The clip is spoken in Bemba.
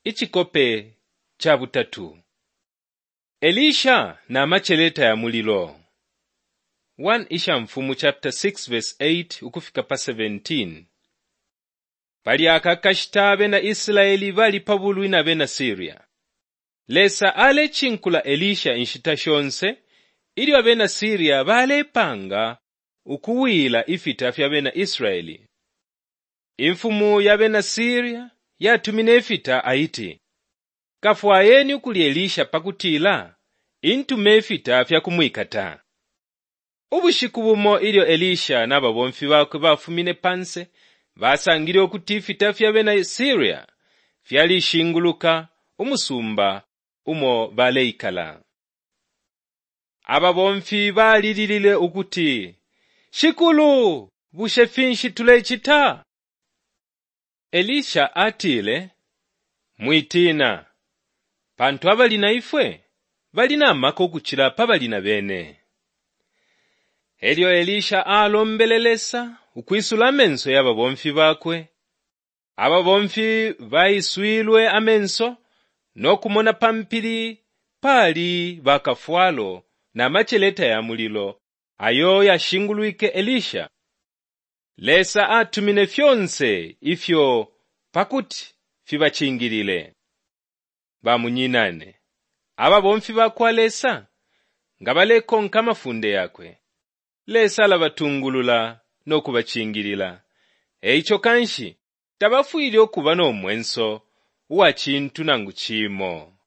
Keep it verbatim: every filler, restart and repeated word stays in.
Icikope ca butatu Elisha na maceleta ya mulilo one Ishamfumu chapter six verse eight ukufika pa seventeen. Pali aka kashita abena Israeli bali pa bulwi na bena Syria. Lesa alecinkula Elisha inshita shonse ilyo abena Syria balepanga ukuwila ifita fya bena Israeli. Imfumu ya bena Syria yatumine ifita aiti, Kafwayeni ukuli Elisha pakutila intume ifita fya kumwikata. Ubushiku bumo ilyo Elisha na babomfi bakwe bafumine panse, basangile ukuti ifita fya bena Syria fyalishinguluka umusumba umo baleikala. Ababomfi balililile ukuti, Shikulu, bushe finshi tulecita? Elisha atile, Mwitiina, pantu abali na ifwe bali na maka ukucila pa bali na bene. Elyo Elisha alombele Lesa ukwisula amenso ya babomfi bakwe. Ababomfi baiswilwe amenso no kumona pa mpili pali bakafwalo na maceleta ya mulilo ayo yashingulwike Elisha. Lesa atumine fyonse ifyo pa kuti fibacingilile. Bamunyinane, ababomfi ba kwa Lesa nga balekonka amafunde yakwe, Lesa alabatungulula no kubacingilila. E ico kanshi tabafwile ukuba no mwenso uwa cintu nangu cimo.